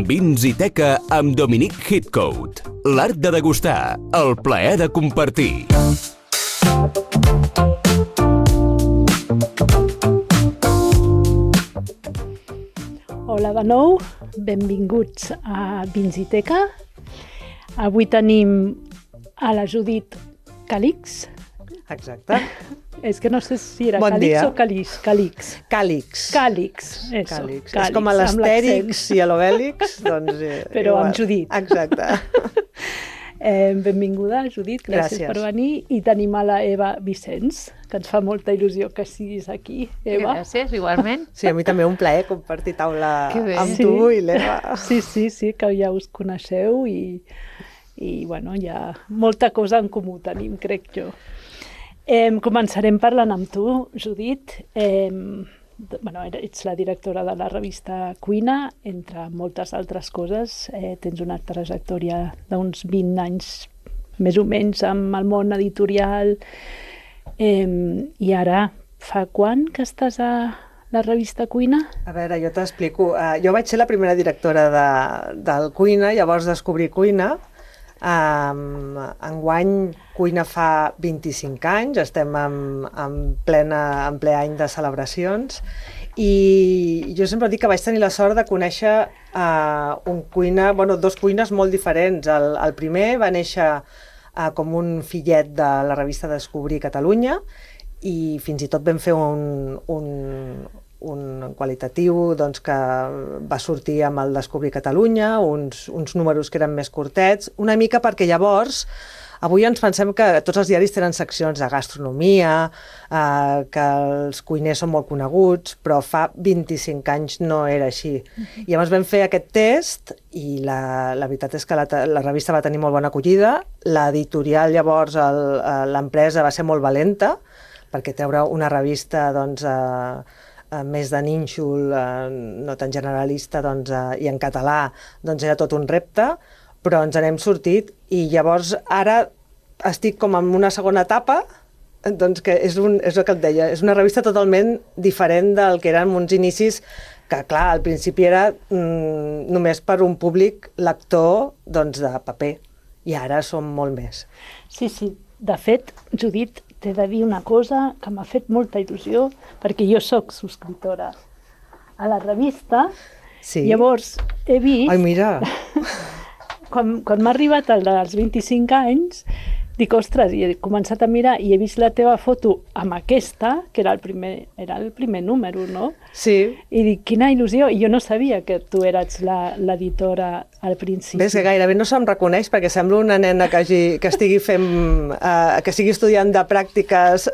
Vins i Teca amb Dominic Heathcote. L'art de degustar, el plaer de compartir. Hola de nou, benvinguts a Vins i Teca. Avui tenim a la Judit Calix. Exacte. És que no sé si era bon Calix dia. o Calix. Calix. Càlix. Càlix, eso. Càlix. Càlix, És com a l'Astèrix i a l'Obèlix, doncs... Però igual. amb Judit. Exacte. Benvinguda, Judit, gràcies per venir. I tenim a la Eva Vicenç, que ens fa molta il·lusió que siguis aquí, Eva. Gràcies, igualment. Sí, a mi també un plaer compartir taula amb Sí. tu i l'Eva. Sí, que ja us coneixeu i bueno, hi ha molta cosa en comú tenim, crec jo. Començarem parlant amb tu, Judit. Ets la directora de la revista Cuina, entre moltes altres coses. Tens una trajectòria d'uns 20 anys, més o menys, amb el món editorial. I ara, fa quan que estàs a la revista Cuina? A veure, jo t'explico. Jo vaig ser la primera directora del Cuina, llavors descobrir Cuina. Enguany Cuina fa 25 anys, estem en ple any de celebracions i jo sempre dic que vaig tenir la sort de conèixer dos cuines molt diferents. El primer va néixer com un fillet de la revista Descobrir Catalunya i fins i tot vam fer un qualitatiu doncs, que va sortir amb el Descobrir Catalunya, uns números que eren més curtets, una mica perquè llavors, avui ens pensem que tots els diaris tenen seccions de gastronomia, que els cuiners són molt coneguts, però fa 25 anys no era així. I llavors vam fer aquest test i la veritat és que la revista va tenir molt bona acollida, l'editorial llavors, l'empresa va ser molt valenta, perquè treure una revista doncs, més de nínxol, no tan generalista, doncs, i en català, doncs era tot un repte, però ens n'hem sortit i llavors ara estic com en una segona etapa, doncs que és el que et deia, és una revista totalment diferent del que eren uns inicis que, clar, al principi era només per un públic lector doncs, de paper, i ara som molt més. Sí. De fet, Judit, t'he de dir una cosa que m'ha fet molta il·lusió, perquè jo sóc subscriptora a la revista, Sí. Llavors he vist... Ai, mira! Quan m'ha arribat el dels 25 anys, dic, ostres, i he començat a mirar i he vist la teva foto amb aquesta, que era el primer número, no? Sí. I dic, quina il·lusió! I jo no sabia que tu eres l'editora al principi. Ves que gairebé no se'm reconeix perquè sembla una nena que estigui fent, que estigui estudiant de pràctiques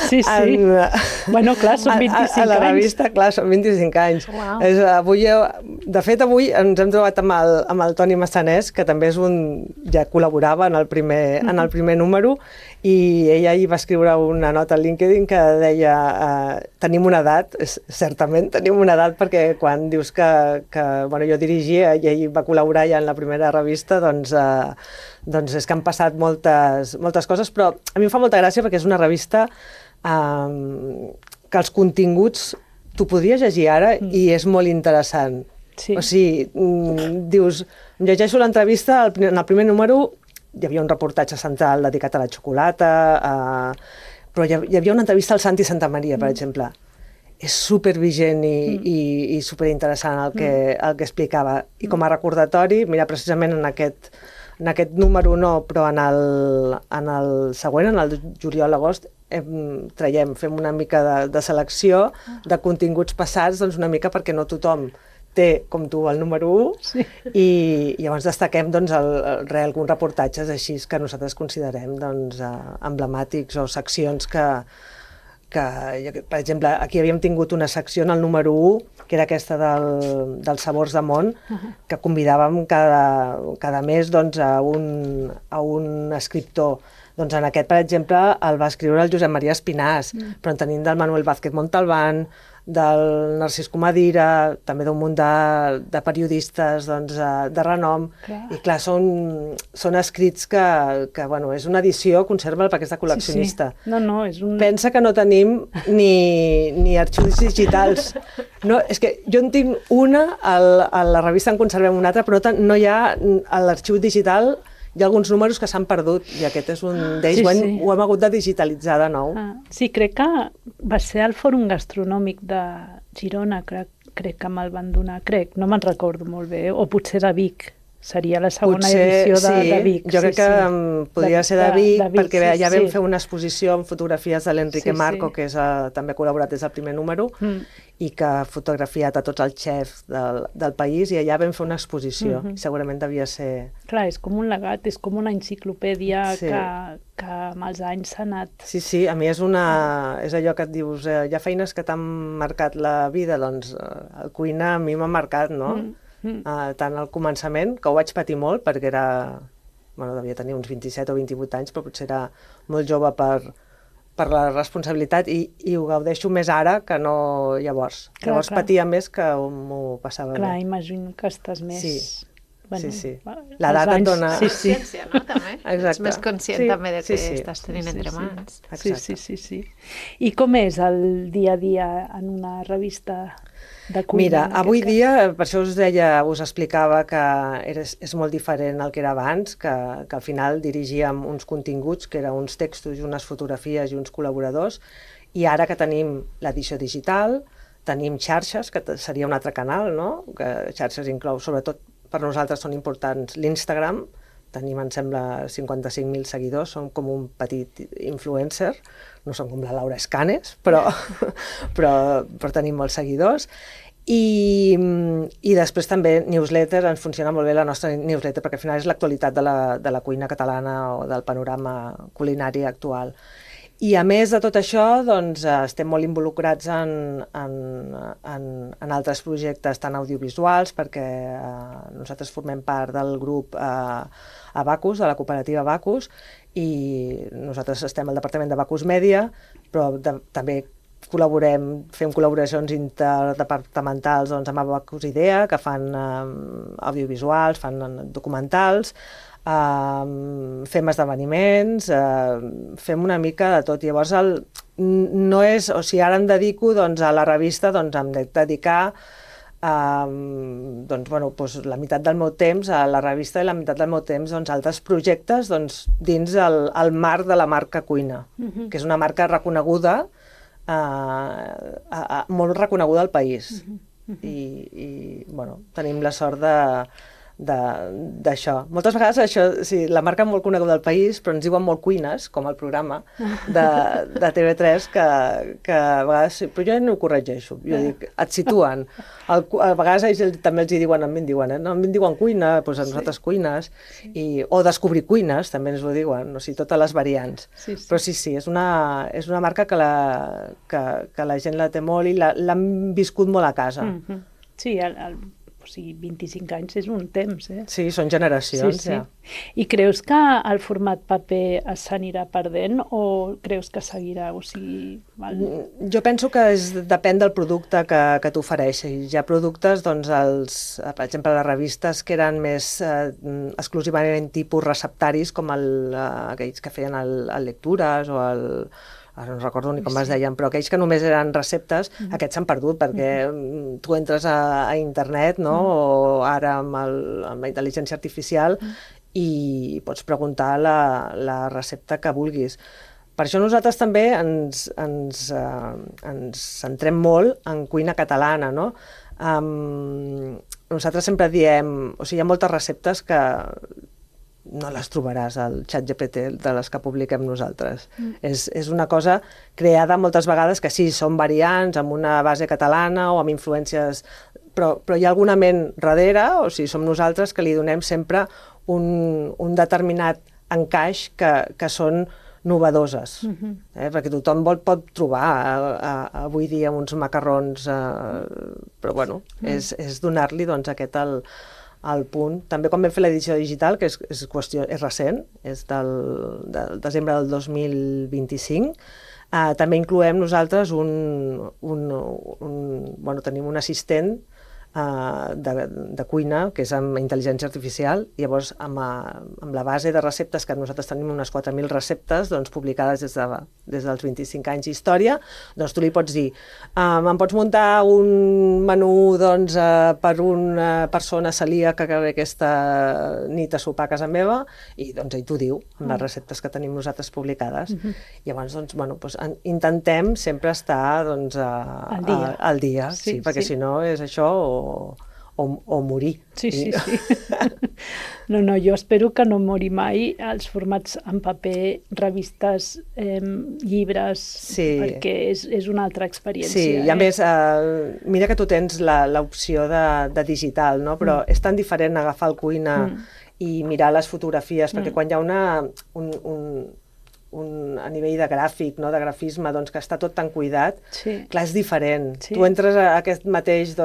Sí. Bueno, clar, són 25 anys. A la revista, clar, són 25 anys. Wow. De fet, avui ens hem trobat amb el Toni Massanès, que també ja col·laborava en el primer número, i ella hi va escriure una nota al LinkedIn que deia tenim una edat, certament tenim una edat, perquè quan dius que jo dirigia i ell va col·laborar ja en la primera revista, doncs és que han passat moltes coses, però a mi em fa molta gràcia perquè és una revista que els continguts tu podries llegir ara i és molt interessant. Sí. O sigui, dius, llegeixo l'entrevista, en el primer número hi havia un reportatge central dedicat a la xocolata, però hi havia una entrevista al Santi Santamaria, per exemple. És supervigent i superinteressant el que explicava. I com a recordatori, mira, precisament en aquest número no, però en el següent, en el juliol-agost, fem una mica de selecció de continguts passats, doncs una mica perquè no tothom té, com tu, el número 1, i llavors destaquem alguns reportatges així que nosaltres considerem emblemàtics o seccions que, per exemple, aquí havíem tingut una secció en el número 1, que era aquesta dels sabors de món, que convidàvem cada mes a un escriptor. Doncs en aquest, per exemple, el va escriure el Josep Maria Espinàs, però en tenim del Manuel Vázquez Montalbán, del Narcís Comadira, també d'un munt de periodistes de renom. I clar, són escrits que és una edició, conserva perquè és de col·leccionista. No, és un... Pensa que no tenim ni arxius digitals, No, és que jo en tinc una, a la revista en conservem una altra, però no hi ha, a l'arxiu digital hi ha alguns números que s'han perdut i aquest és un d'ells, ho hem hagut de digitalitzar de nou. Sí, crec que va ser al Fòrum Gastronòmic de Girona, crec que me'l van donar, no me'n recordo molt bé, o potser de Vic. Seria la segona edició de Vic. Jo crec que podria ser de Vic, perquè ja vam fer una exposició amb fotografies de l'Enrique Marco, que també ha col·laborat des del primer número, i que ha fotografiat a tots els xefs del país, i allà vam fer una exposició. Segurament devia ser... Clar, és com un legat, és com una enciclopèdia que amb els anys s'ha anat... Sí, a mi és allò que et dius, hi ha feines que t'han marcat la vida, doncs el cuina a mi m'ha marcat, no? Tant al començament, que ho vaig patir molt, perquè devia tenir uns 27 o 28 anys, però potser era molt jove per la responsabilitat i ho gaudeixo més ara que no llavors. Llavors patia més que m'ho passava bé. Clar, imagino que estàs més... Sí. L'edat et dona... Consciència, no? També. Ets més conscient també de que estàs tenint entre mans. Sí. I com és el dia a dia en una revista de cuina? Mira, avui dia, per això us explicava que és molt diferent el que era abans, que al final dirigíem uns continguts, que eren uns textos i unes fotografies i uns col·laboradors, i ara que tenim l'edició digital, tenim xarxes, que seria un altre canal, no? Que xarxes inclou, sobretot per nosaltres són importants l'Instagram, tenim, em sembla, 55.000 seguidors, som com un petit influencer, no som com la Laura Escanes, però tenim molts seguidors. I després també newsletter, ens funciona molt bé la nostra newsletter, perquè al final és l'actualitat de la cuina catalana o del panorama culinari actual. I a més de tot això, doncs, estem molt involucrats en altres projectes tan audiovisuals, perquè nosaltres formem part del grup Abacus, de la cooperativa Abacus, i nosaltres estem al departament de Abacus Media, però també fem col·laboracions interdepartamentals amb Abacus Idea, que fan audiovisuals, fan documentals, fem esdeveniments, fem una mica de tot. Llavors, no és... O sigui, ara em dedico a la revista, em dedicar la meitat del meu temps a la revista i la meitat del meu temps a altres projectes dins el marc de la marca Cuina, que és una marca reconeguda, molt reconeguda al país. I tenim la sort d'això. Moltes vegades això, sí, la marca molt coneguda del país, però ens diuen molt cuines, com el programa de TV3, que a vegades... Però jo no ho corregeixo, jo dic, et situen. A vegades ells també els diuen, a mi em diuen, no, a mi em diuen cuina, doncs a nosaltres cuines, o descobrir cuines, també ens ho diuen, o sigui, totes les variants. Però sí, és una marca que la gent la té molt i l'han viscut molt a casa. Sí, o sigui, 25 anys és un temps, Sí, són generacions, ja. I creus que el format paper s'anirà perdent o creus que seguirà? O sigui, jo penso que depèn del producte que t'ofereixi. Hi ha productes, per exemple, les revistes que eren més exclusivament tipus receptaris, com aquells que feien el lectures o ara no recordo ni com es deien, però aquells que només eren receptes, aquests s'han perdut, perquè tu entres a internet, no? O ara amb la intel·ligència artificial i pots preguntar la recepta que vulguis. Per això nosaltres també ens centrem molt en cuina catalana, no? Nosaltres sempre diem, o sigui, hi ha moltes receptes que no les trobaràs al ChatGPT de les que publiquem nosaltres. És una cosa creada moltes vegades que sí, són variants amb una base catalana o amb influències, però hi ha alguna ment darrere, o sigui, som nosaltres que li donem sempre un determinat encaix que són novedoses, perquè tothom pot trobar avui dia uns macarrons, però bueno, és donar-li aquest al punt. També quan vam fer l'edició digital, que és recent, és del desembre del 2025, també incloem nosaltres tenim un assistent de cuina, que és amb intel·ligència artificial. Llavors, amb la base de receptes, que nosaltres tenim unes 4.000 receptes doncs, publicades des dels 25 anys d'història, doncs tu li pots dir, em pots muntar un menú doncs, per una persona celíaca que ve aquesta nit a sopar a casa meva, i doncs ell t'ho diu, amb les receptes que tenim nosaltres publicades. Llavors, doncs, bueno, doncs, intentem sempre estar doncs, al dia, sí, perquè si no és això o morir. Sí. No, jo espero que no mori mai els formats en paper, revistes, llibres, perquè és una altra experiència. Sí, i a més, mira que tu tens l'opció de digital, no? Però és tan diferent agafar el Cuina i mirar les fotografies, perquè quan hi ha a nivell de gràfic, no, de grafisme, doncs, que està tot tan cuidat, clar, és diferent. Tu entres a aquest mateix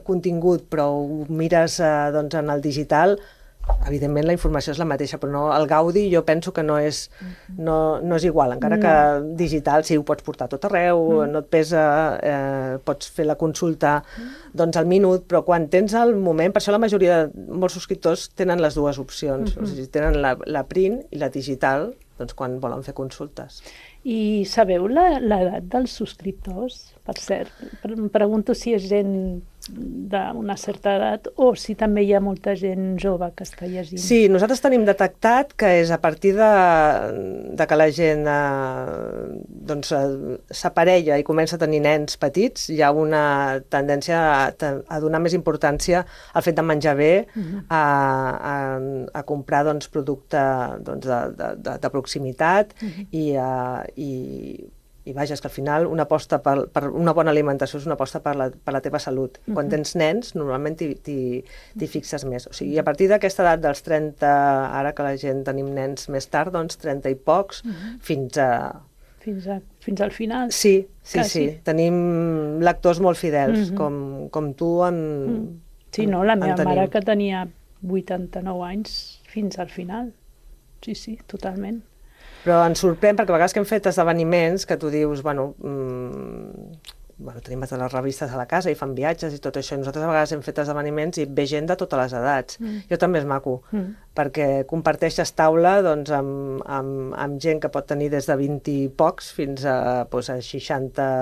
contingut, però ho mires en el digital, evidentment la informació és la mateixa, però no, el gaudi jo penso que no és igual, encara que digital sí ho pots portar tot arreu, no et pesa, pots fer la consulta doncs al minut, però quan tens el moment, per això la majoria de molts subscriptors tenen les dues opcions, o sigui, tenen la print i la digital, doncs quan volen fer consultes. I sabeu l'edat dels subscriptors? Per cert, em pregunto si és gent d'una certa edat o si també hi ha molta gent jove que està llegint. Sí, nosaltres tenim detectat que és a partir de que la gent s'aparella i comença a tenir nens petits, hi ha una tendència a donar més importància al fet de menjar bé, a comprar producte de proximitat i vaja, és que al final una aposta per una bona alimentació és una aposta per la teva salut. Quan tens nens, normalment t'hi fixes més. O sigui, a partir d'aquesta edat dels 30, ara que la gent tenim nens més tard, doncs 30 i pocs, fins al final? Sí. Tenim lectors molt fidels, com tu Sí, no, la meva mare que tenia 89 anys fins al final. Sí, totalment. Però ens sorprèn perquè a vegades que hem fet esdeveniments que tu dius, tenim totes les revistes a la casa i fan viatges i tot això, i nosaltres a vegades hem fet esdeveniments i ve gent de totes les edats. Jo també és maco, perquè comparteixes taula amb gent que pot tenir des de 20 i pocs fins a 60,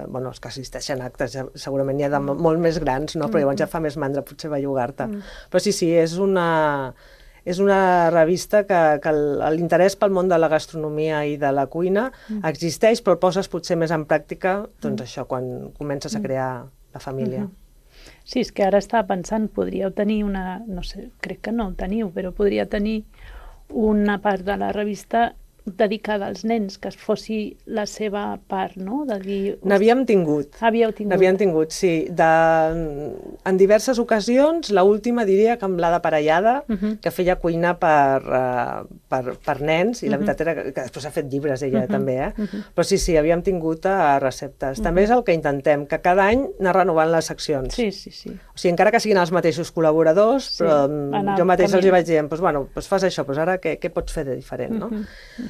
els que assisteixen a actes, segurament n'hi ha de molt més grans, no? Però llavors ja fa més mandra potser bellugar-te. Però sí, és una revista que l'interès pel món de la gastronomia i de la cuina existeix, però el poses potser més en pràctica, doncs això, quan comences a crear la família. Sí, és que ara estava pensant, podríeu tenir no sé, crec que no ho teniu, però podria tenir una part de la revista dedicada als nens, que fossi la seva part, no? N'havíem tingut. N'havíem tingut, sí. En diverses ocasions, l'última diria que amb l'Ada Parellada, que feia cuina per nens, i la veritat era que després ha fet llibres ella també, però sí, havíem tingut receptes. També és el que intentem, que cada any anar renovant les seccions. Sí. O sigui, encara que siguin els mateixos col·laboradors, però jo mateix els hi vaig dient, doncs fas això, doncs ara què pots fer de diferent, no?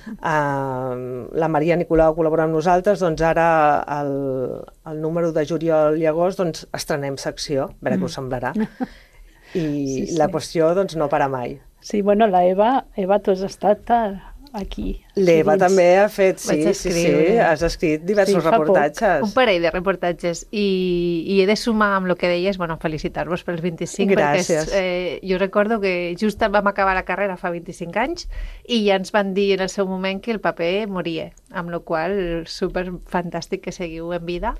La Maria Nicolau col·labora amb nosaltres, doncs ara el número de juliol i agost doncs estrenem secció, a veure què us semblarà. I la qüestió doncs no para mai. Sí, bueno, la Eva, tu has estat aquí. L'Eva també ha fet, has escrit diversos reportatges. Un parell de reportatges i he de sumar amb el que deies, felicitar-vos pels 25. Gràcies. Perquè jo recordo que just vam acabar la carrera fa 25 anys i ja ens van dir en el seu moment que el paper moria, amb la qual cosa super fantàstic que seguiu en vida,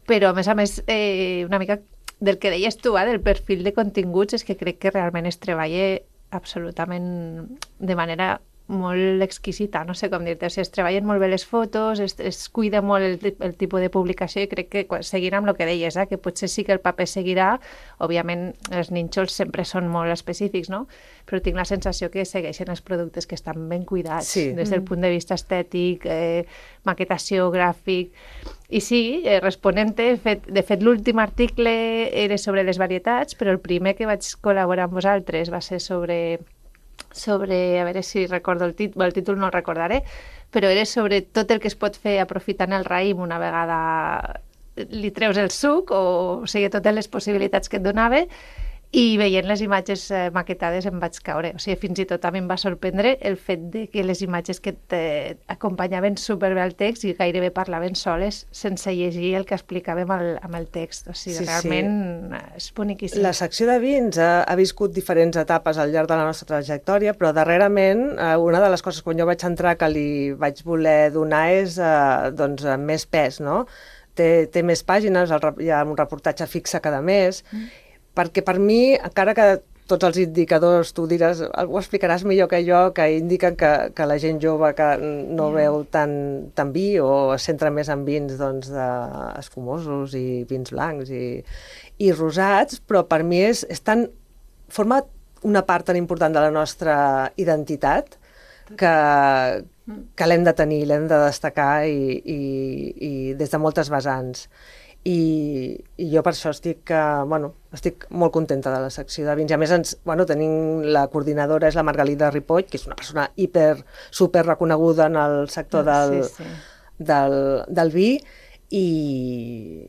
però a més una mica del que deies tu, del perfil de continguts, és que crec que realment es treballa absolutament de manera molt exquisita, no sé com dir-te, es treballen molt bé les fotos, es cuida molt el tipus de publicació i crec que seguirà amb el que deies, que potser sí que el paper seguirà, òbviament els nínxols sempre són molt específics, no? Però tinc la sensació que segueixen els productes que estan ben cuidats, des del punt de vista estètic, maquetació, gràfic. I sí, responent-te, de fet l'últim article era sobre les varietats, però el primer que vaig col·laborar amb vosaltres va ser sobre, a veure si recordo el títol no el recordaré, però era sobre tot el que es pot fer aprofitant el raïm una vegada li treus el suc, o sigui, totes les possibilitats que et donava, i veient les imatges maquetades em vaig caure. O sigui, fins i tot a mi em va sorprendre el fet de que les imatges que acompanyaven superbé el text i gairebé parlaven soles sense llegir el que explicàvem amb el text. O sigui, realment és boniquíssim. La secció de vins ha viscut diferents etapes al llarg de la nostra trajectòria, però darrerament una de les coses quan jo vaig entrar que li vaig voler donar és més pes, no? Té més pàgines, hi ha un reportatge fixe cada mes, perquè per mi, encara que tots els indicadors, tu diràs, ho explicaràs millor que jo, que indiquen que la gent jove que no veu tant vi o es centra més en vins escumosos i vins blancs i rosats, però per mi forma una part tan important de la nostra identitat que l'hem de tenir, l'hem de destacar i des de moltes vessants. I jo per això estic molt contenta de la secció de vins. I a més, tenim la coordinadora, és la Margalida Ripoll, que és una persona super reconeguda en el sector del vi, i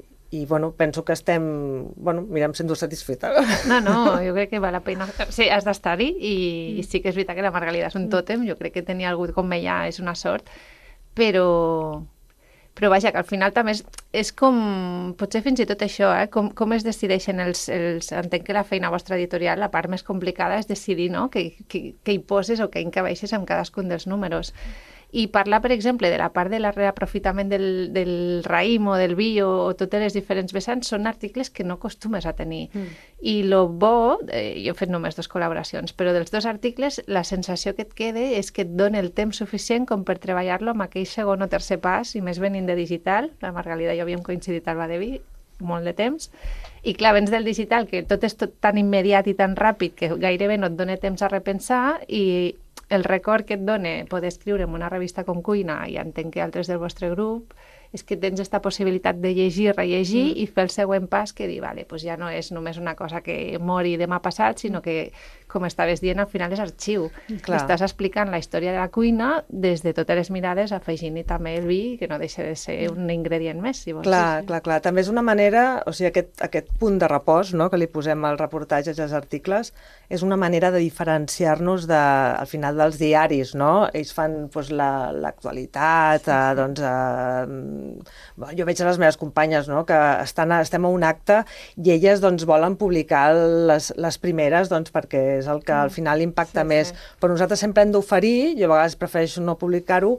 penso que em sento satisfeta. No, jo crec que val la pena. Sí, has d'estar-hi, i sí que és veritat que la Margalida és un tòtem, jo crec que tenir algú com ella és una sort, però vaja, que al final també és com, potser fins i tot això, com es decideixen entenc que la feina vostra editorial, la part més complicada és decidir, no?, què hi poses o què encabeixes amb cadascun dels números. I parlar, per exemple, de la part de la reaprofitament del raïm o del vi o totes les diferents vessants són articles que no acostumes a tenir. I lo bo, jo he fet només 2 col·laboracions, però dels 2 articles la sensació que et queda és que et dona el temps suficient com per treballar-lo amb aquell segon o tercer pas, i més venint de digital. La Margalida i jo havíem coincidit al Badeví molt de temps, i clar, vens del digital, que tot és tan immediat i tan ràpid que gairebé no et dona temps a repensar, i el record que et dona poder escriure en una revista com Cuina, i entenc que altres del vostre grup, és que tens aquesta possibilitat de llegir, rellegir i fer el següent pas, que dir, vale, doncs ja no és només una cosa que mori demà passat, sinó que, com estaves dient, al final és arxiu. Estàs explicant la història de la cuina des de totes les mirades, afegint-hi també el vi, que no deixa de ser un ingredient més, si vols. Clar. També és una manera, o sigui, aquest punt de repòs, no?, que li posem als reportatges i als articles, és una manera de diferenciar-nos al final dels diaris, no? Ells fan l'actualitat, jo veig a les meves companyes, no?, que estem a un acte i elles volen publicar les primeres perquè és el que al final impacta més. Però nosaltres sempre hem d'oferir, jo a vegades prefereixo no publicar-ho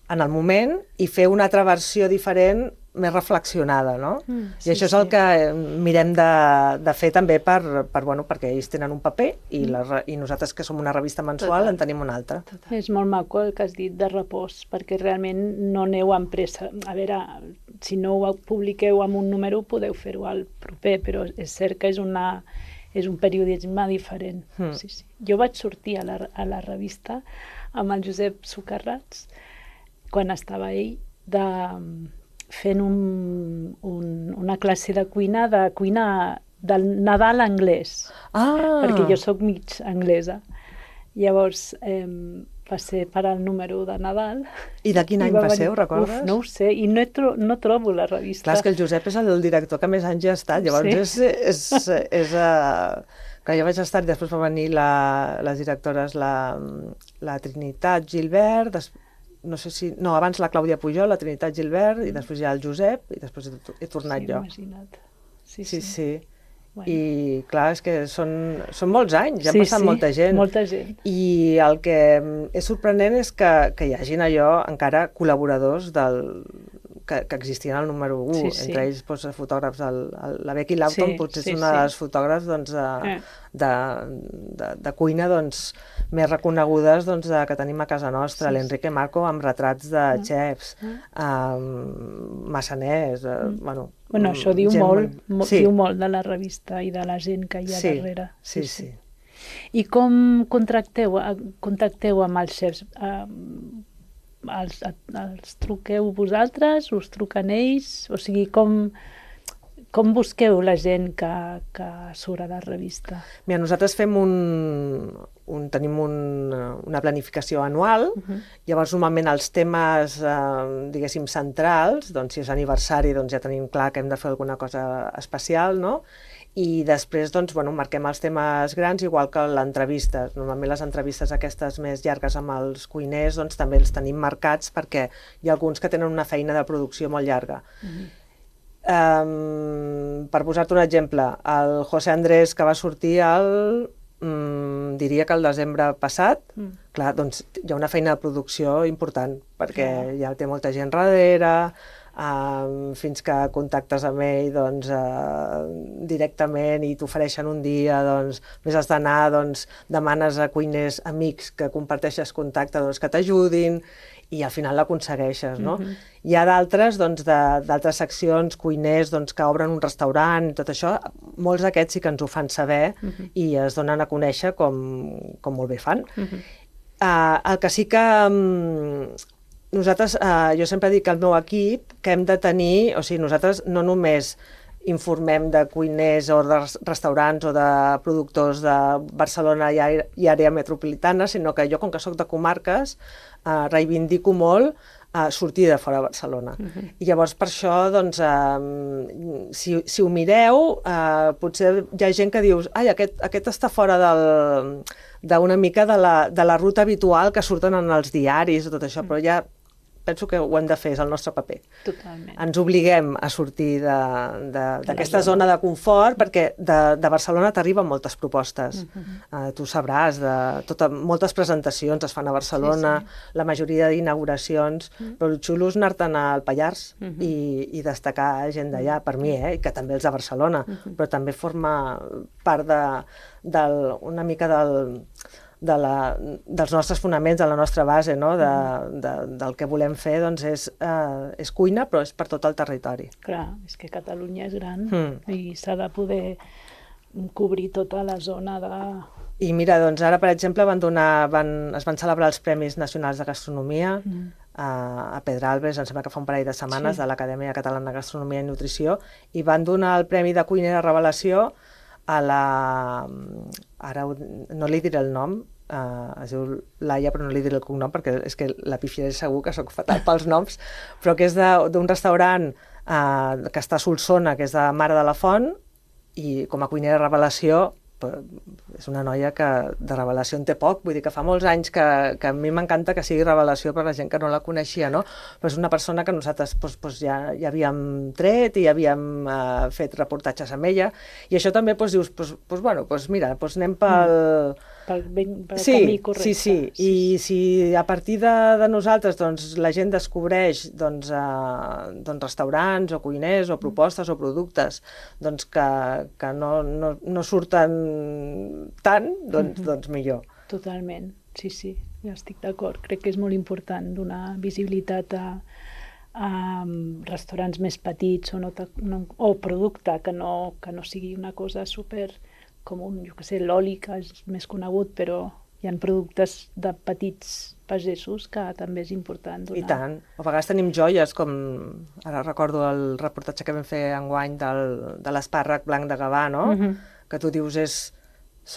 en el moment i fer una altra versió diferent, més reflexionada, no? I això és el que mirem de fer també perquè ells tenen un paper i nosaltres, que som una revista mensual, en tenim un altre. És molt maco el que has dit de repòs, perquè realment no aneu amb pressa. A veure, si no ho publiqueu en un número, podeu fer-ho al proper, però és cert que és un periodisme diferent. Jo vaig sortir a la revista amb el Josep Socarrats, quan estava ell, fent una classe de cuina del Nadal anglès, perquè jo sóc mig anglesa. Llavors va ser per al número de Nadal. I de quin any va ser, ho recordes? No ho sé, i no trobo la revista. Clar, és que el Josep és el director que més anys ja ha estat, llavors és que jo vaig estar, i després va venir les directores, la Trinitat Gilbert, abans la Clàudia Pujol, la Trinitat Gilbert, i després ja el Josep, i després he tornat jo. Imagina't. Sí. I clar, és que són molts anys, ja ha passat molta gent. Molta gent. I el que és sorprenent és que hi hagin encara col·laboradors que existien al número 1, entre ells fotògrafs. La Becky Lawton potser és una de les fotògrafs de cuina més reconegudes que tenim a casa nostra. L'Enrique Marco amb retrats de xefs, massaners, això diu molt de la revista i de la gent que hi ha darrere. Sí. I com contacteu amb els xefs? Els truqueu vosaltres? Us truquen ells? O sigui, Com busqueu la gent que surt a la revista? Mira, nosaltres fem tenim una planificació anual, llavors normalment els temes, diguéssim, centrals, doncs si és aniversari doncs ja tenim clar que hem de fer alguna cosa especial, no? I després doncs, bueno, marquem els temes grans igual que l'entrevista. Normalment les entrevistes aquestes més llargues amb els cuiners doncs, també els tenim marcats perquè hi ha alguns que tenen una feina de producció molt llarga. Per posar-te un exemple, el José Andrés, que va sortir diria que el desembre passat, clar, doncs hi ha una feina de producció important, perquè ja té molta gent darrere, fins que contactes amb ell doncs, directament i t'ofereixen un dia, doncs, més has d'anar, doncs, demanes a cuiners amics que comparteixes contacte doncs, que t'ajudin, i al final l'aconsegueixes, no? Hi ha d'altres, doncs, d'altres seccions, cuiners doncs, que obren un restaurant i tot això, molts d'aquests sí que ens ho fan saber i es donen a conèixer com molt bé fan. El que sí que nosaltres, jo sempre dic al meu equip que hem de tenir, o sigui, nosaltres no només informem de cuiners o de restaurants o de productors de Barcelona i àrea metropolitana, sinó que jo, com que soc de comarques, reivindico molt sortir de fora de Barcelona. I llavors per això, doncs, si ho mireu, potser hi ha gent que dius ai, aquest està fora d'una mica de la ruta habitual que surten en els diaris i tot això, però ja penso que ho hem de fer, és el nostre paper. Totalment. Ens obliguem a sortir d'aquesta zona de confort, perquè de Barcelona t'arriben moltes propostes. Tu sabràs, moltes presentacions es fan a Barcelona, la majoria d'inauguracions, però el xulo és anar-te'n al Pallars i destacar gent d'allà, per mi, que també els de Barcelona, però també forma part una mica dels nostres fonaments, de la nostra base, no? Del que volem fer, doncs és cuina, però és per tot el territori. Clar, és que Catalunya és gran i s'ha de poder cobrir tota la zona de... I mira, doncs ara, per exemple, es van celebrar els Premis Nacionals de Gastronomia a Pedralbes, em sembla que fa un parell de setmanes, de l'Acadèmia Catalana de Gastronomia i Nutrició, i van donar el Premi de Cuinera Revelació a ara no li diré el nom, es diu Laia, però no li diré el cognom perquè és que la pifiaré segur, que sóc fatal pels noms, però que és d'un restaurant que està a Solsona, que és de Mare de la Font, i com a cuinera revelació és una noia que de revelació en té poc, vull dir que fa molts anys que a mi m'encanta que sigui revelació per la gent que no la coneixia, no? Però és una persona que nosaltres ja havíem tret i havíem fet reportatges amb ella, i això també dius, bueno, mira, anem pel camí correcte. Sí, i si a partir de nosaltres la gent descobreix restaurants o cuiners o propostes o productes que no surten tant, doncs millor. Totalment, sí, ja estic d'acord. Crec que és molt important donar visibilitat a restaurants més petits o producte que no sigui una cosa super com l'oli, que és més conegut, però hi ha productes de petits pagesos que també és important donar. I tant. A vegades tenim joies, com ara recordo el reportatge que vam fer enguany de l'espàrrec blanc de Gavà, no? Que tu dius és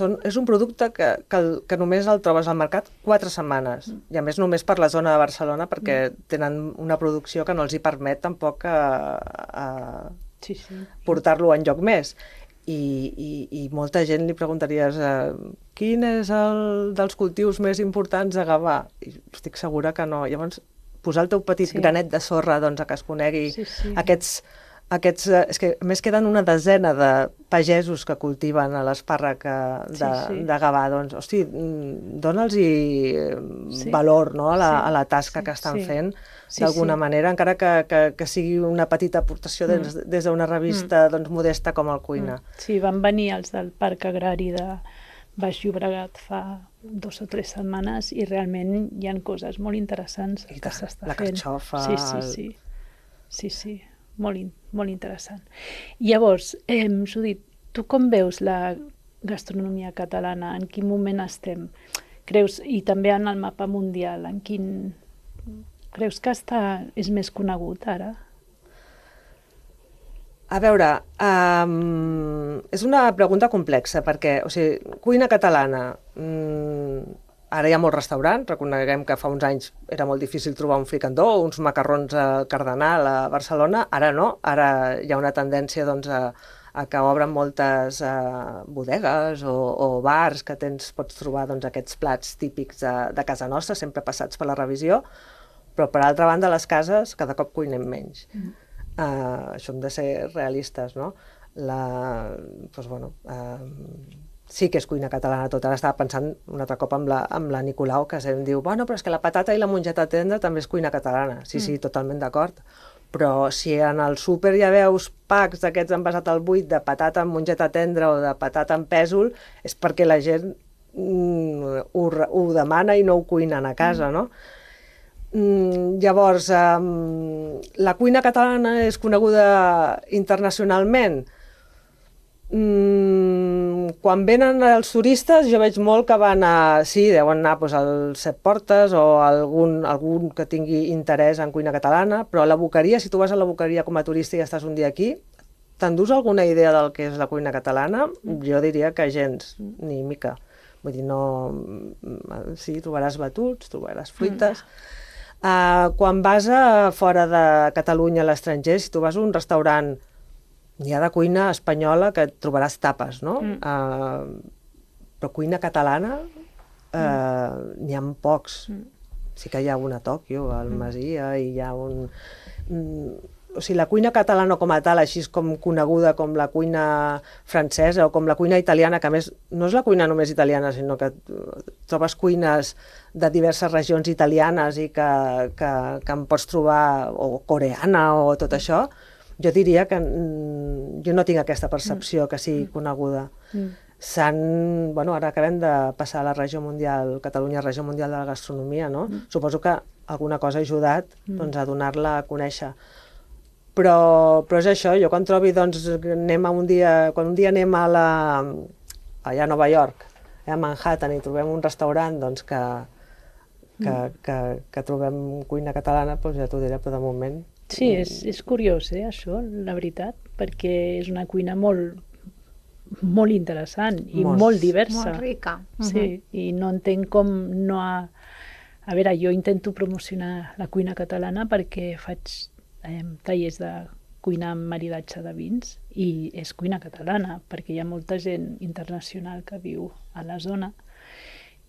un producte que només el trobes al mercat 4 setmanes, i a més només per la zona de Barcelona, perquè tenen una producció que no els hi permet tampoc portar-lo enlloc més. I molta gent li preguntaries quin és el dels cultius més importants a Gavà? I estic segura que no. Llavors, posar el teu petit granet de sorra a que es conegui aquests... És que a més queden una desena de pagesos que cultiven l'espàrrec de Gavà. Doncs, hosti, dona'ls valor a la tasca que estan fent, d'alguna manera, encara que sigui una petita aportació des d'una revista modesta com el Cuina. Sí, van venir els del Parc Agrari de Baix Llobregat fa 2 o 3 setmanes i realment hi ha coses molt interessants que s'està fent. La carxofa... Sí. Molt interessant. Llavors, Judit, tu com veus la gastronomia catalana? En quin moment estem? Creus, i també en el mapa mundial, creus que és més conegut ara? A veure, és una pregunta complexa, perquè, o sigui, cuina catalana, ara hi ha molts restaurants, reconeguem que fa uns anys era molt difícil trobar un fricandó o uns macarrons al Cardenal a Barcelona, ara no, ara hi ha una tendència doncs, a que obren moltes bodegues o bars que pots trobar doncs, aquests plats típics de casa nostra, sempre passats per la revisió, però per altra banda les cases cada cop cuinem menys. Això hem de ser realistes, no? Doncs, bueno, sí que és cuina catalana tot. Ara estava pensant un altre cop amb la Nicolau, que em diu, bueno, però és que la patata i la mongeta tendra també és cuina catalana. Sí, totalment d'acord. Però si en el súper ja veus packs d'aquests envasats al buit de patata amb mongeta tendra o de patata amb pèsol, és perquè la gent ho demana i no ho cuinen a casa, no? Llavors, la cuina catalana és coneguda internacionalment. Quan venen els turistes jo veig molt que van deuen anar als Set Portes o algun que tingui interès en cuina catalana, però a la Boqueria, si tu vas a la Boqueria com a turista i estàs un dia aquí, t'endús alguna idea del que és la cuina catalana? Jo diria que gens, ni mica. Vull dir, no... Sí, trobaràs batuts, trobaràs fruites... Quan vas fora de Catalunya, a l'estranger, si tu vas a un restaurant, hi ha de cuina espanyola que et trobaràs tapes, no? Però cuina catalana n'hi ha pocs. Sí que hi ha una a Tòquio, al Masia, i hi ha un... O sigui, la cuina catalana com a tal, així com coneguda com la cuina francesa o com la cuina italiana, que a més no és la cuina només italiana, sinó que trobes cuines de diverses regions italianes i que en pots trobar, o coreana o tot això, jo diria que jo no tinc aquesta percepció que sigui coneguda. Bueno, ara acabem de passar a la regió mundial, Catalunya, regió mundial de la gastronomia, no? Suposo que alguna cosa ha ajudat a donar-la a conèixer. Però és això, jo quan trobi, doncs, quan un dia anem allà a Nova York, a Manhattan, i trobem un restaurant doncs, que trobem cuina catalana, doncs ja t'ho diré, però de moment... Sí, és curiós, això, la veritat, perquè és una cuina molt interessant i molt diversa. Molt rica. Sí, i no entenc com no ha... A veure, jo intento promocionar la cuina catalana perquè faig tallers de cuina amb maridatge de vins i és cuina catalana perquè hi ha molta gent internacional que viu a la zona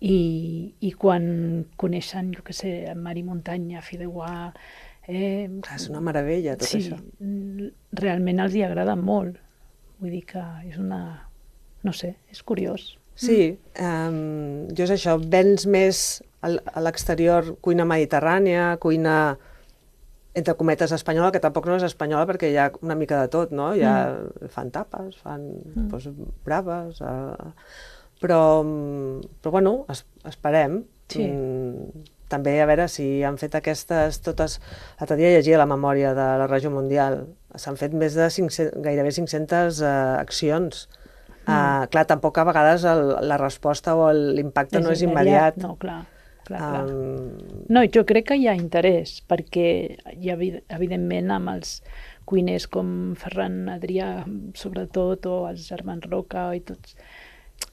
i quan coneixen, jo què sé, mar i muntanya, fideuà... És una meravella tot això. Sí, realment els hi agrada molt. Vull dir que és una... No sé, és curiós. Sí, jo és això, vens més a l'exterior cuina mediterrània, cuina... entre cometes espanyola, que tampoc no és espanyola perquè hi ha una mica de tot, no? Fan tapes, fan braves, però bueno, esperem. Sí. També a veure si han fet aquestes totes... L'altre dia llegia la memòria de la regió mundial. S'han fet més de gairebé 500 accions. Clar, tampoc a vegades la resposta o l'impacte no és immediat. No, clar. No, jo crec que hi ha interès, perquè hi ha, evidentment, amb els cuiners com Ferran Adrià, sobretot, o els germans Roca i tots,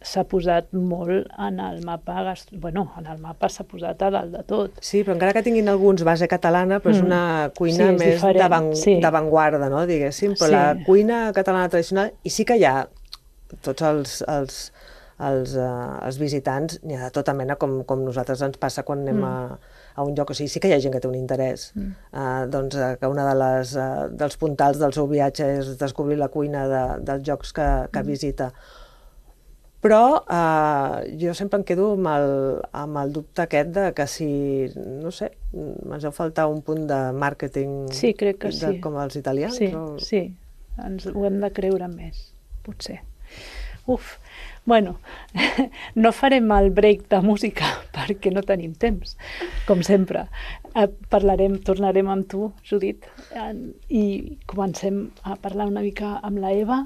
s'ha posat molt en el mapa, en el mapa s'ha posat a dalt de tot. Sí, però encara que tinguin alguns base catalana, però és una cuina més d'avantguarda, no, diguéssim, però la cuina catalana tradicional, i sí que hi ha tots els visitants, n'hi ha de tota mena, com nosaltres ens passa quan anem a un lloc. O sigui, sí que hi ha gent que té un interès. Doncs que una dels puntals del seu viatge és descobrir la cuina dels llocs que visita. Però jo sempre em quedo amb el dubte aquest de que si, no sé, ens deu faltar un punt de màrqueting com els italians. Sí, ho hem de creure més, potser. Bueno, no farem el break de música perquè no tenim temps, com sempre. Tornarem amb tu, Judit, i comencem a parlar una mica amb la Eva,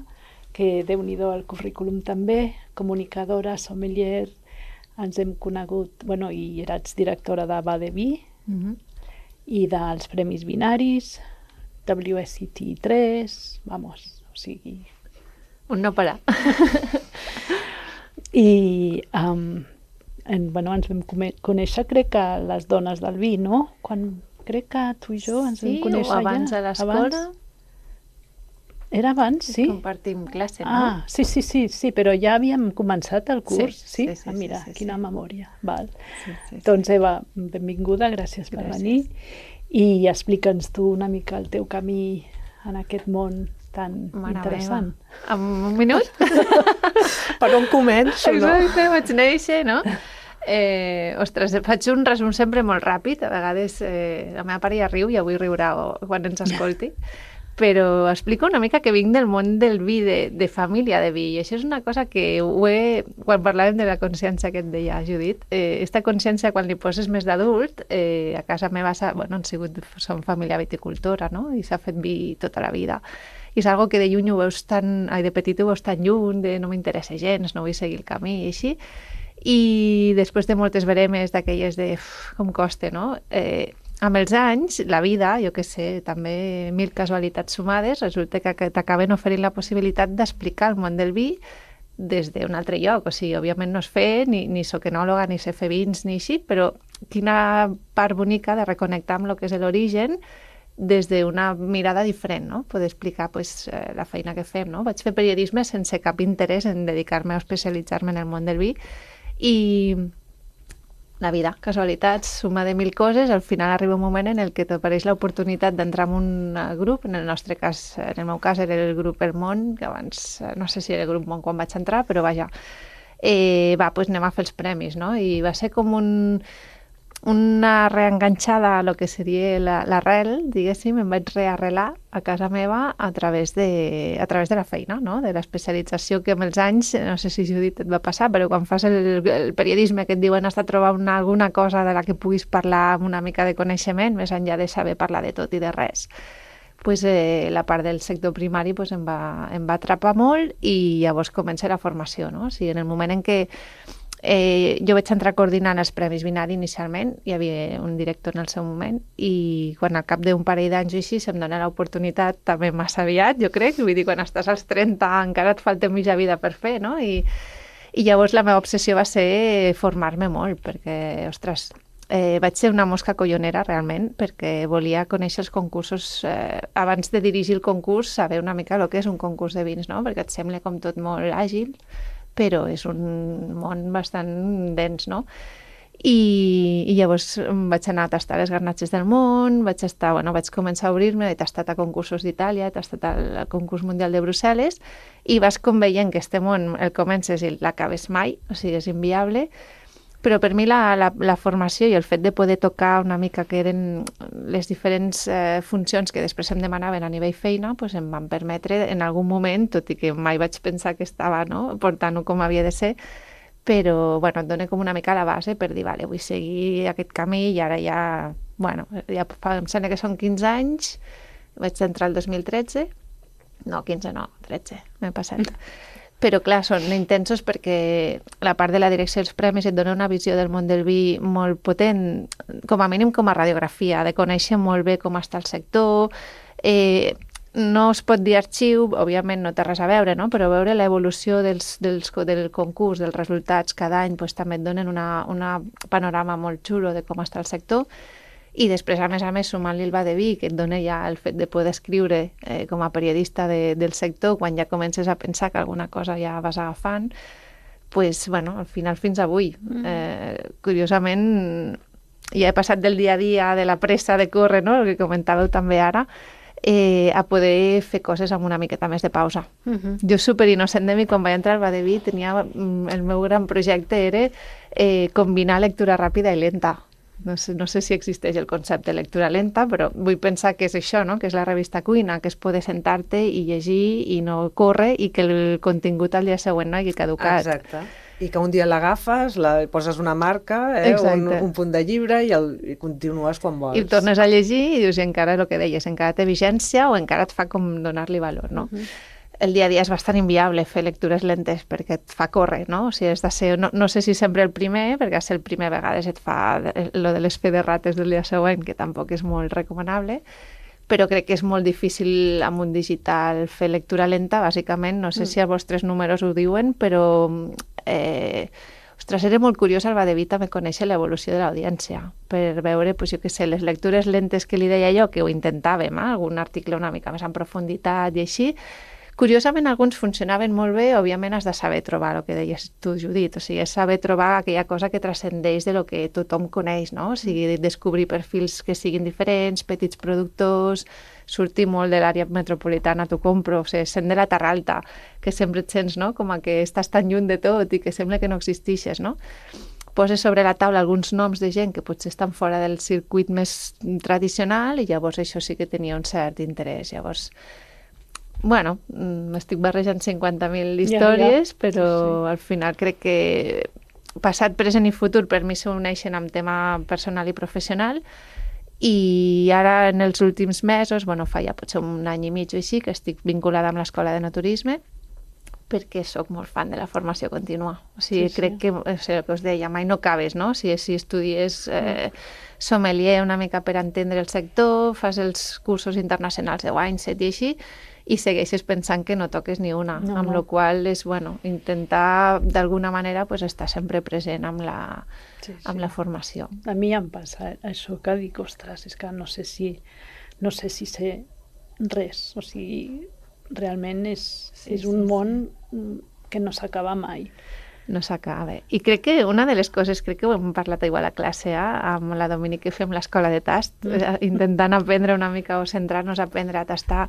que déu-n'hi-do el currículum també, comunicadora, sommelier, ens hem conegut, i eres directora de Vade Vi i dels Premis Binaris, WSET3, vamos, o sigui... Un no parar. I bueno, ens vam conèixer, crec que les dones del vi, no? Crec que tu i jo ens vam conèixer o abans ja. a l'escola. Era abans, sí? Compartim classe, no? Ah, sí, però ja havíem començat el curs, sí? Sí, Mira, sí, quina memòria. Val. Sí. Doncs Eva, benvinguda, gràcies per venir. I explica'ns tu una mica el teu camí en aquest món tan interessant. En un minut? Per on començo, no? Exacte, vaig néixer, no? Ostres, faig un resum sempre molt ràpid. A vegades la meva pare ja riu i avui riurà quan ens escolti. Però explico una mica que vinc del món del vi, de família de vi, i això és una cosa que quan parlàvem de la consciència que et deia Judit, esta consciència quan li poses més d'adult, a casa meva som família viticultora, no? I s'ha fet vi tota la vida. I és algo que de lluny ho veus de petit ho veus tan lluny, de no m'interessa gens, no vull seguir el camí i així. I després de moltes veremes d'aquelles de com costa, no? Amb els anys, la vida, jo què sé, també 1000 casualitats sumades, resulta que t'acaben oferint la possibilitat d'explicar el món del vi des d'un altre lloc. O sigui, òbviament no és fer, ni soc enòloga, ni sé fer vins, ni així, però quina part bonica de reconnectar amb el que és l'origen des d'una mirada diferent, no? Poder explicar la feina que fem, no? Vaig fer periodisme sense cap interès en dedicar-me o especialitzar-me en el món del vi i... La vida, casualitats, suma de 1000 coses, al final arriba un moment en el que t'apareix l'oportunitat d'entrar en un grup, en el meu cas era el grup El Món, que abans no sé si era el grup Món quan vaig entrar, però vaja, anem a fer els premis, no? I va ser com una reenganxada a lo que seria l'arrel, diguéssim, em vaig rearrelar a casa meva a través de la feina, no? De l'especialització que amb els anys, no sé si Judit et va passar, però quan fas el periodisme que et diuen has de trobar alguna cosa de la que puguis parlar amb una mica de coneixement, més enllà de saber parlar de tot i de res. La part del sector primari em va atrapar molt i llavors comença la formació, no? O sigui, en el moment en què jo vaig entrar coordinant els Premis Vinari inicialment, hi havia un director en el seu moment, i quan al cap d'un parell d'anys o així se'm dona l'oportunitat, també massa aviat, jo crec, vull dir, quan estàs als 30 encara et falta mitja vida per fer, no? I llavors la meva obsessió va ser formar-me molt, perquè, ostres, vaig ser una mosca collonera realment, perquè volia conèixer els concursos, abans de dirigir el concurs, saber una mica el que és un concurs de vins, no? Perquè et sembla com tot molt àgil, però és un món bastant dens, no? I llavors vaig anar a tastar les garnatxes del món, vaig començar a obrir-me, he tastat a concursos d'Itàlia, he tastat al concurs mundial de Brussel·les, i vas com veient que este món el comences i l'acabes mai, o sigui, és inviable, però per mi la formació i el fet de poder tocar una mica que eren les diferents funcions que després em demanaven a nivell feina, em van permetre en algun moment, tot i que mai vaig pensar que estava portant-ho com havia de ser, però et dona com una mica la base per dir, vale, vull seguir aquest camí i ara em sembla que són 15 anys, vaig entrar el 2013, no, 15 no, 13, m'he passat. Però clar, són intensos perquè la part de la direcció dels premis et dona una visió del món del vi molt potent, com a mínim com a radiografia, de conèixer molt bé com està el sector. No es pot dir arxiu, òbviament no té res a veure, no? Però veure l'evolució del concurs, dels resultats cada any, també et donen una panorama molt xulo de com està el sector. I després, a més, sumant-li el va de vi, que et dona ja el fet de poder escriure com a periodista del sector, quan ja comences a pensar que alguna cosa ja vas agafant, al final fins avui. Curiosament, ja he passat del dia a dia, de la pressa de córrer, no? El que comentàveu també ara, a poder fer coses amb una miqueta més de pausa. Jo superinnocent de mi, quan vaig entrar al va de vi, el meu gran projecte era combinar lectura ràpida i lenta. No sé si existeix el concepte de lectura lenta, però vull pensar que és això, no? Que és la revista Cuina, que és poder sentar-te i llegir i no córrer i que el contingut al dia següent no hagi caducat. Exacte. I que un dia l'agafes, poses una marca, un punt de llibre i continues quan vols. I tornes a llegir i dius, encara el que deies, encara té vigència o encara et fa com donar-li valor, no? El dia a dia és bastant inviable fer lectures lentes perquè et fa córrer, no? O sigui, has de ser, no sé si sempre el primer, perquè ser el primer a vegades et fa lo de les fe de rates del dia següent, que tampoc és molt recomanable, però crec que és molt difícil amb un digital fer lectura lenta, bàsicament. No sé si els vostres números ho diuen, però ostres, era molt curiós al Badevit també conèixer l'evolució de l'audiència, per veure, jo què sé, les lectures lentes que li deia jo, que ho intentàvem, algun article una mica més en profunditat i així. Curiosament, alguns funcionaven molt bé, òbviament has de saber trobar el que deies tu, Judit, o sigui, és saber trobar aquella cosa que transcendeix de lo que tothom coneix, no? O sigui, descobrir perfils que siguin diferents, petits productors, sortir molt de l'àrea metropolitana, t'ho compro, o sigui, sent de la Terra Alta, que sempre et sents, no?, com que estàs tan lluny de tot i que sembla que no existixes, no? Poses sobre la taula alguns noms de gent que potser estan fora del circuit més tradicional i llavors això sí que tenia un cert interès. Llavors, bueno, m'estic barrejant 50.000 històries, però al final crec que passat, present i futur per mi s'uneixen amb tema personal i professional, i ara en els últims mesos, fa ja potser un any i mig o així, que estic vinculada amb l'Escola de Naturisme, perquè sóc molt fan de la formació contínua. O sigui, crec que, el que us deia, mai no acabes, no? Si estudies sommelier una mica per entendre el sector, fas els cursos internacionals de Wineset i així, i segueixes pensant que no toques ni una, amb la qual és, intentar d'alguna manera estar sempre present amb la formació. A mi em passa això que dic, ostres, és que no sé si sé res, o sigui, realment és un món que no s'acaba mai. No s'acaba. I crec que una de les coses, crec que ho hem parlat igual a classe amb la Dominic, que fem l'escola de tast, intentant aprendre una mica o centrar-nos a aprendre a tastar.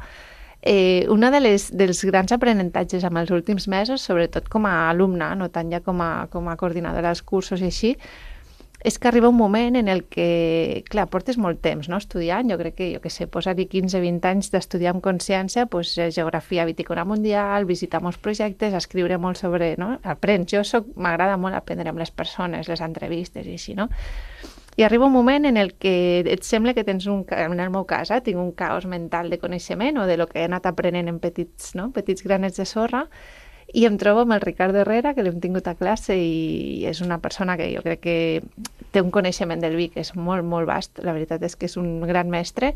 Una dels grans aprenentatges amb els últims mesos, sobretot com a alumna, no tant ja com a coordinadora dels cursos i així, és que arriba un moment en el que, clar, portes molt temps, no?, estudiant. Jo crec que, posar-hi 15-20 anys d'estudiar amb consciència, geografia vitícola mundial, visitar molts projectes, escriure molt sobre, no?, aprens. M'agrada molt aprendre amb les persones, les entrevistes i així, no? I arriba un moment en el que et sembla que tens en el meu cas, tinc un caos mental de coneixement o de lo que he anat aprenent en petits granets de sorra, i em trobo amb el Ricardo Herrera, que l'hem tingut a classe i és una persona que jo crec que té un coneixement del vi que és molt, molt vast. La veritat és que és un gran mestre,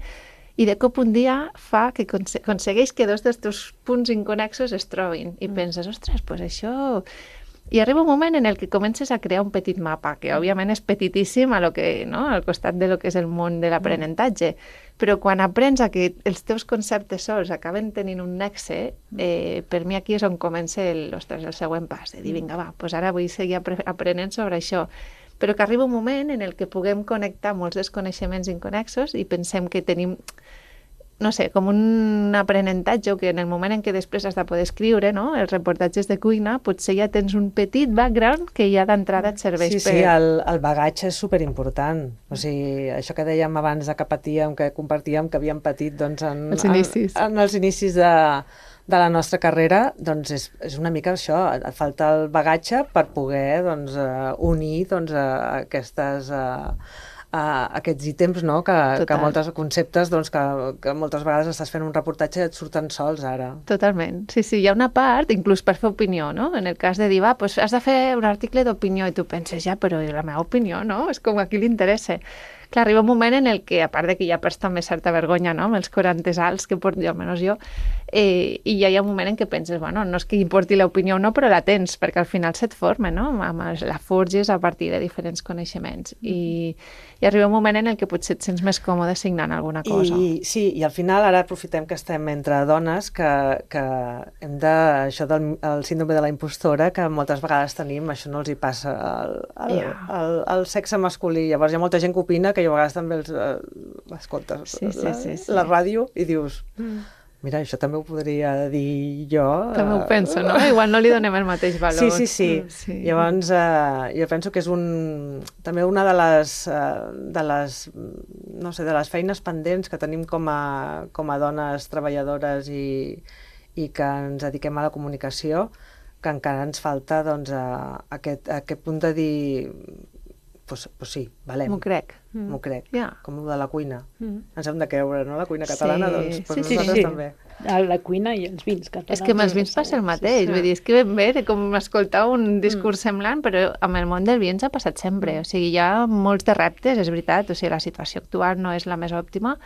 i de cop un dia fa que aconsegueix que dos dels teus punts inconexos es trobin i penses, ostres, això... I arriba un moment en el que comences a crear un petit mapa, que òbviament és petitíssim al costat de lo que és el món de l'aprenentatge, però quan aprens a que els teus conceptes sols acaben tenint un nexe, per mi aquí és on comença el següent pas, de dir, vinga, va, ara vull seguir aprenent sobre això. Però que arriba un moment en el que puguem connectar molts dels coneixements inconexos i pensem que tenim, no sé, com un aprenentatge, que en el moment en què després has de poder escriure, no?, els reportatges de cuina, potser ja tens un petit background que ja d'entrada et serveix per... Sí, el bagatge és superimportant. O sigui, això que dèiem abans que patíem, que compartíem, que havíem patit en els inicis de la nostra carrera, doncs és una mica això, falta el bagatge per poder unir aquests ítems, no?, que molts conceptes que moltes vegades estàs fent un reportatge i et surten sols ara. Totalment. Sí, hi ha una part, inclús per fer opinió, no? En el cas de dir, has de fer un article d'opinió, i tu penses, però la meva opinió, no? És com a qui li interessa. Clar, arriba un moment en el que, a part de que ja perds també certa vergonya, no?, amb els 40 alts que porto, almenys jo, i ja hi ha un moment en què penses, no és que importi l'opinió o no, però la tens, perquè al final se't forma, no?, la forges a partir de diferents coneixements. I arriba un moment en el que potser et sents més còmode signant alguna cosa. Sí, i al final ara aprofitem que estem entre dones, que hem de... Això del síndrome de la impostora, que moltes vegades tenim, això no els hi passa al sexe masculí. Llavors hi ha molta gent que opina que jo a vegades també escoltes la ràdio i dius, mira, això també ho podria dir jo. També ho penso, no? Igual no li donem el mateix valor. Sí. Llavors, jo penso que és també una de les feines pendents que tenim com a dones treballadores i que ens dediquem a la comunicació, que encara ens falta aquest punt de dir... Pues sí, valem. M'ho crec. Com el de la cuina. Ens hem de creure, no?, la cuina catalana, nosaltres també. La cuina i els vins catalans. És que amb els vins passa el mateix, vull dir, és que ben bé, com escoltar un discurs semblant, però amb el món del vi ens ha passat sempre, o sigui, hi ha molts de reptes, és veritat, o sigui, la situació actual no és la més òptima,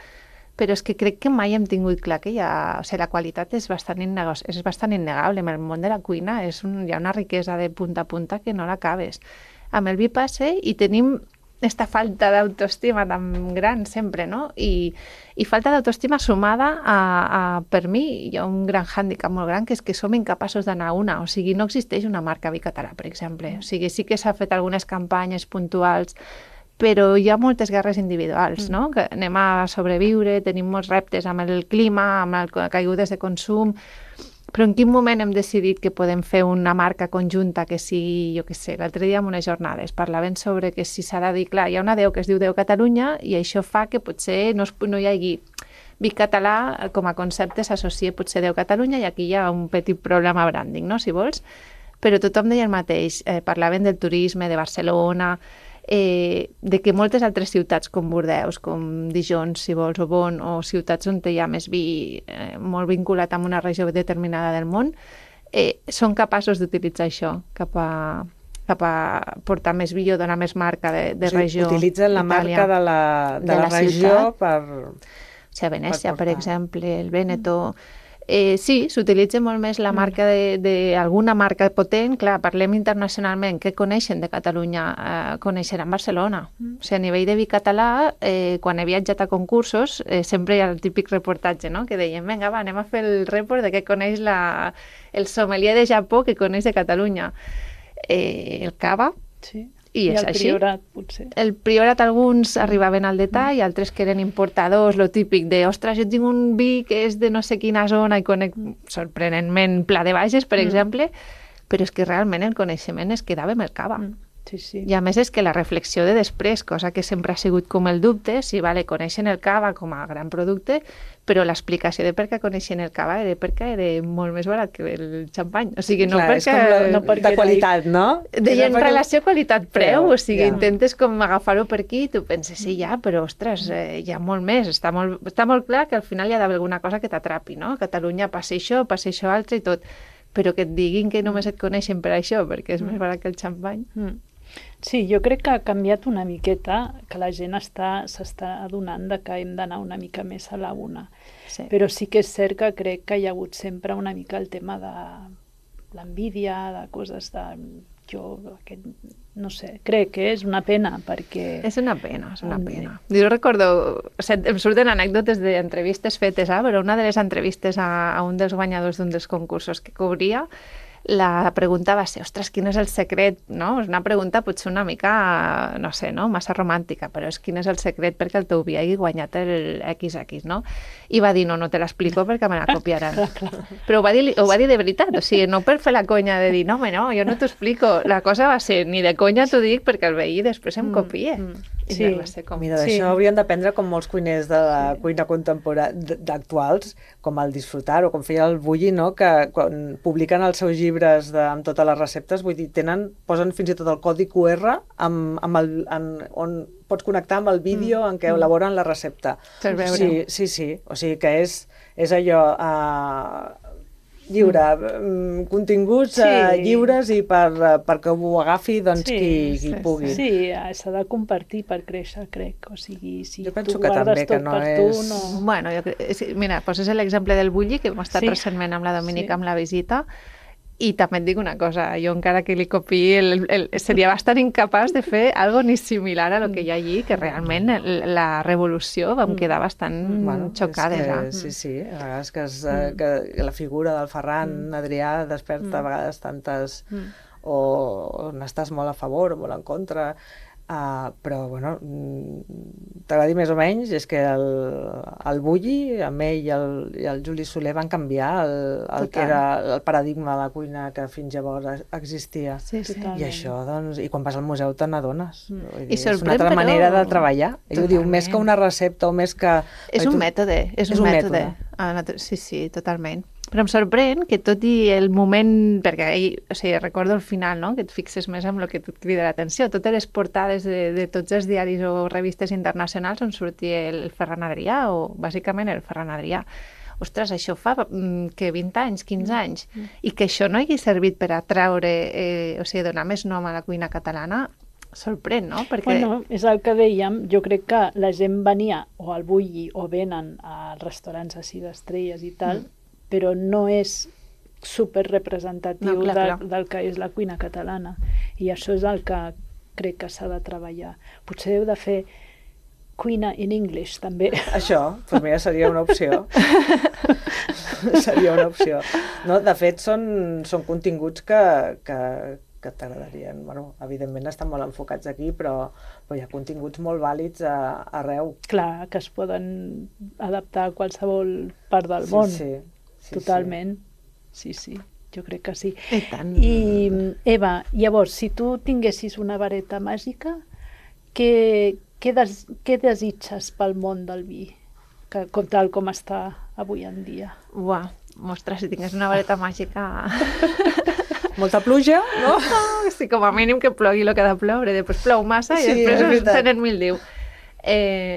però és que crec que mai hem tingut clar que o sigui, la qualitat és bastant innegable. En el món de la cuina hi ha una riquesa de punta a punta que no l'acabes. Amb el vi passa i tenim esta falta d'autoestima tan gran sempre, no? I falta d'autoestima sumada per mi, hi ha un gran hàndicap molt gran, que és que som incapaços d'anar a una. O sigui, no existeix una marca vi català, per exemple. O sigui, sí que s'ha fet algunes campanyes puntuals, però hi ha moltes guerres individuals, no? Que anem a sobreviure, tenim molts reptes amb el clima, amb les caigudes de consum, però en quin moment hem decidit que podem fer una marca conjunta que sigui, jo què sé, l'altre dia en unes jornades parlaven sobre que si s'ha de dir, clar, hi ha una 10 que es diu 10 Catalunya i això fa que potser no hi hagi vi català com a concepte s'associa potser 10 Catalunya i aquí hi ha un petit problema branding, no?, si vols, però tothom deia el mateix, parlaven del turisme, de Barcelona, de que moltes altres ciutats com Bordeus, com Dijon, si vols, o Bonn, o ciutats on hi ha més vi molt vinculat amb una regió determinada del món, són capaços d'utilitzar això cap a portar més vi o donar més marca de regió. Utilitzen la marca de la regió per... O sigui, a Venècia, per exemple, el Veneto... Sí, s'utilitza molt més la marca d'alguna marca potent. Clar, parlem internacionalment, què coneixen de Catalunya? Coneixeran Barcelona. O sigui, a nivell de vi català, quan he viatjat a concursos, sempre hi ha el típic reportatge, no?, que deien, vinga, va, anem a fer el report de què coneix el sommelier de Japó que coneix de Catalunya. El cava, Sí. i és el així. Priorat, potser. El Priorat, alguns arribaven al detall, altres que eren importadors, lo típic de, ostres, jo tinc un vi que és de no sé quina zona i conec sorprenentment Pla de Bages, per exemple, però és que realment el coneixement es quedava amb el cava. Sí, sí. I a més és que la reflexió de després, cosa que sempre ha sigut com el dubte, si vale, coneixen el cava com a gran producte, però l'explicació de per què coneixen el cava era perquè era molt més barat que el xampany. O sigui, no Clar, perquè... no de qualitat, no? Deien relació qualitat-preu, o sigui, ja. intentes com agafar-ho per aquí i tu penses, sí, ja, però ostres, hi ha molt més. Està molt clar que al final hi ha d'haver alguna cosa que t'atrapi, no? A Catalunya passa això altre i tot. Però que et diguin que només et coneixen per això, perquè és més barat que el xampany. Sí, jo crec que ha canviat una miqueta, que la gent s'està adonant de que hem d'anar una mica més a la una. Sí. Però sí que és cert que crec que hi ha hagut sempre una mica el tema de l'envídia, de coses de... no sé, crec que és una pena, perquè... És una pena. Jo recordo, em surten anècdotes d'entrevistes fetes, però una de les entrevistes a un dels guanyadors d'un dels concursos que cobria, la pregunta va ser, ostres, quin és el secret, no? És una pregunta potser una mica, no sé, no? Massa romàntica, però és quin és el secret perquè el teu vi hagi guanyat el XX, no? I va dir, no te l'explico perquè me la copiaran. Però ho va dir de veritat, o sigui, no per fer la conya de dir, no, jo no t'ho explico. La cosa va ser, ni de conya t'ho dic perquè el veí després em copia. Sí. Va ser com... Mira, d'això haurien d'aprendre com molts cuiners de la cuina contemporània d'actuals, com el Disfrutar o com feia el Bulli, no? Que quan publiquen els seus llibres amb totes les receptes, vull dir, posen fins i tot el codi QR on pots connectar amb el vídeo en què elaboren la recepta. Per veure. Sí. O sigui que és allò... lliure, continguts lliures i perquè ho agafi doncs, qui pugui. Sí, s'ha de compartir per créixer, crec. O sigui, si jo penso tu que guardes també, tot que no per tu, és... no... Bueno, mira, poses l'exemple del Bulli, que hem estat recentment amb la Domènica amb la visita, i també et dic una cosa, jo encara que li copiï, seria bastant incapaç de fer algo ni similar a lo que hi ha allí, que realment la revolució vam quedar bastant xocades. Sí, a vegades que la figura del Ferran Adrià desperta a vegades tantes... o n'estàs molt a favor o molt en contra... però, bueno, t'agradi més o menys, és que el Bulli, amb ell i el Juli Soler van canviar el que era el paradigma de la cuina que fins llavors existia. Sí. I això, doncs, i quan vas al museu te n'adones. És sorprèn, una altra manera de treballar. Ell ho diu, més que una recepta o més que... És un mètode. Sí, totalment. Però em sorprèn que tot i el moment, perquè recordo al final, no?, que et fixes més en el que et crida l'atenció, totes les portades de tots els diaris o revistes internacionals on sortia el Ferran Adrià, o bàsicament el Ferran Adrià. Ostres, això fa que 20 anys, 15 anys, i que això no hagi servit per atraure, donar més nom a la cuina catalana, sorprèn, no? Perquè... Bueno, és el que dèiem, jo crec que la gent venia o al Bulli o venen a restaurants a 6 estrelles i tal, però no és super representatiu No, clar. del que és la cuina catalana. I això és el que crec que s'ha de treballar. Potser heu de fer cuina in English, també. Això, doncs mira, seria una opció. Seria una opció. No, de fet, són continguts que t'agradarien. Bueno, evidentment estan molt enfocats aquí, però hi ha continguts molt vàlids arreu. Clar, que es poden adaptar a qualsevol part del món. Sí. Totalment. Sí, jo crec que sí. I tant. I, Eva, llavors, si tu tinguessis una vareta màgica, què desitges pel món del vi, tal com està avui en dia? Uah, ostres, si tingués una vareta màgica... Molta pluja, no? Sí, com a mínim que plogui el que ha de ploure, després plou massa i Sí, és després veritat. tenen mil diu.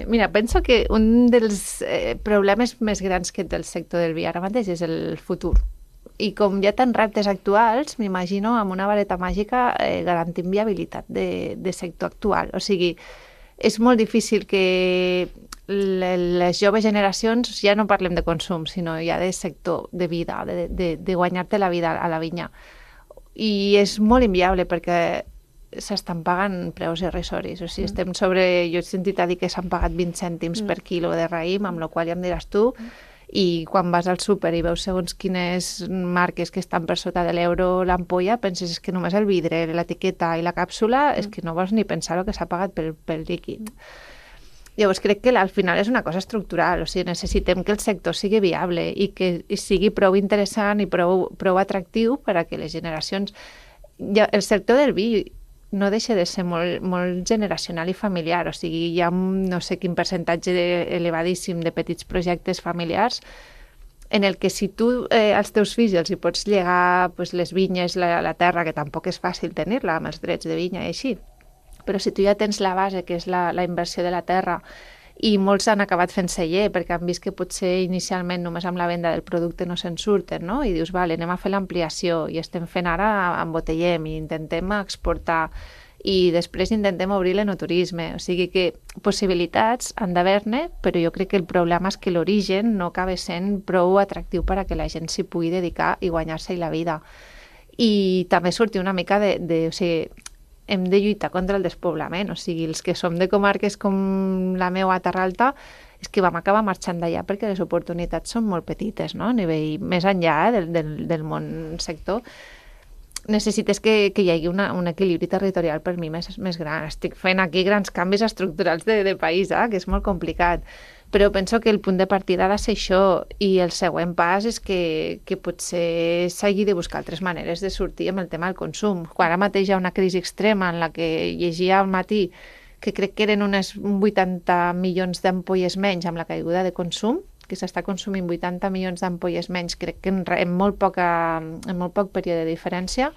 Mira, penso que un dels problemes més grans que té el sector del vi ara mateix és el futur. I com hi ha tants reptes actuals, m'imagino amb una vareta màgica garantint viabilitat de sector actual. O sigui, és molt difícil que les joves generacions, ja no parlem de consum, sinó ja de sector, de vida, de guanyar-te la vida a la vinya. I és molt inviable perquè s'estan pagant preus irrisoris. O sigui, estem sobre... Jo he sentit a dir que s'han pagat 20 cèntims per quilo de raïm, amb la qual ja em diràs tu, i quan vas al súper i veus segons quines marques que estan per sota de l'euro l'ampolla, penses que només el vidre, l'etiqueta i la càpsula, és que no vols ni pensar el que s'ha pagat pel líquid. Llavors crec que al final és una cosa estructural, o sigui, necessitem que el sector sigui viable i que sigui prou interessant i prou atractiu per a que les generacions... El sector del vi no deixa de ser molt generacional i familiar, o sigui, hi ha no sé quin percentatge elevadíssim de petits projectes familiars en el que si tu als teus fills els hi pots llegar les vinyes, la terra, que tampoc és fàcil tenir-la amb els drets de vinya i així, però si tu ja tens la base, que és la inversió de la terra, i molts han acabat fent celler perquè han vist que potser inicialment només amb la venda del producte no se'n surten, no? I dius, vale, anem a fer l'ampliació i estem fent ara, embotellem i intentem exportar i després intentem obrir l'enoturisme. O sigui que possibilitats han d'haver-ne, però jo crec que el problema és que l'origen no acaba sent prou atractiu per a que la gent s'hi pugui dedicar i guanyar-se la vida. I també sortir una mica o sigui, hem de lluitar contra el despoblament, o sigui, els que som de comarques com la meva a Terra Alta, és que vam acabar marxant d'allà perquè les oportunitats són molt petites, no? A nivell més enllà del món sector. Necessites que hi hagi un equilibri territorial per mi més gran. Estic fent aquí grans canvis estructurals de país, que és molt complicat. Però penso que el punt de partida ha de ser això i el següent pas és que potser s'hagi de buscar altres maneres de sortir amb el tema del consum. Quan ara mateix hi ha una crisi extrema en la que llegia al matí que crec que eren uns 80 milions d'ampolles menys amb la caiguda de consum, que s'està consumint 80 milions d'ampolles menys, crec que en molt poc període de diferència,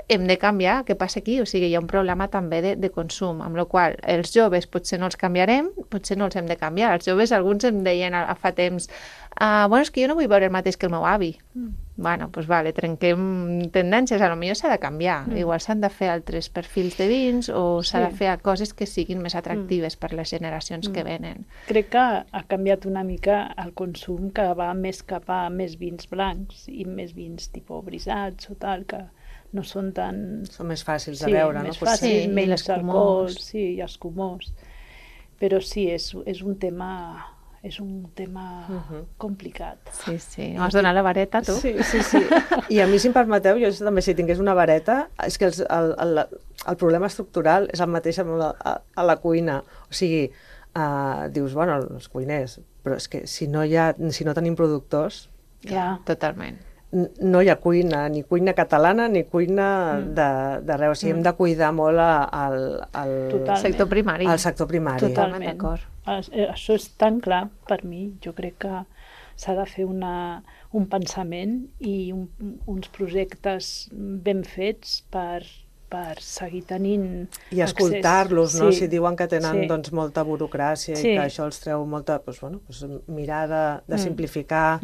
hem de canviar. Què passa aquí? O sigui, hi ha un problema també de consum, amb la qual els joves potser no els canviarem, potser no els hem de canviar. Els joves, alguns em deien fa temps, bueno, és que jo no vull veure el mateix que el meu avi. Bueno, doncs vale, trenquem tendències, potser s'ha de canviar. Igual s'han de fer altres perfils de vins o s'ha de fer coses que siguin més atractives per les generacions que venen. Crec que ha canviat una mica el consum, que va més cap a més vins blancs i més vins tipus brisats o tal, que no són tan... Són més fàcils de veure, no? Més fàcils, Sí, menys l'escumós. alcohol, sí, i escumós. Però sí, és un tema complicat. Sí, sí. M'has donat la vareta, tu? Sí. I a mi, si em permeteu, jo també si tingués una vareta, és que el problema estructural és el mateix a la cuina. O sigui, dius, bueno, els cuiners, però és que si no tenim productors, Ja. Totalment. no hi ha cuina, ni cuina catalana ni cuina d'arreu. O sigui, hem de cuidar molt Totalment. Sector primari. al sector primari. Totalment. D'acord. Això és tan clar per mi. Jo crec que s'ha de fer un pensament i uns projectes ben fets per per seguir tenint I escoltar-los, no? Sí. Si diuen que tenen Sí. doncs, molta burocràcia Sí. i que això els treu molta... Doncs, bueno, doncs mirar de simplificar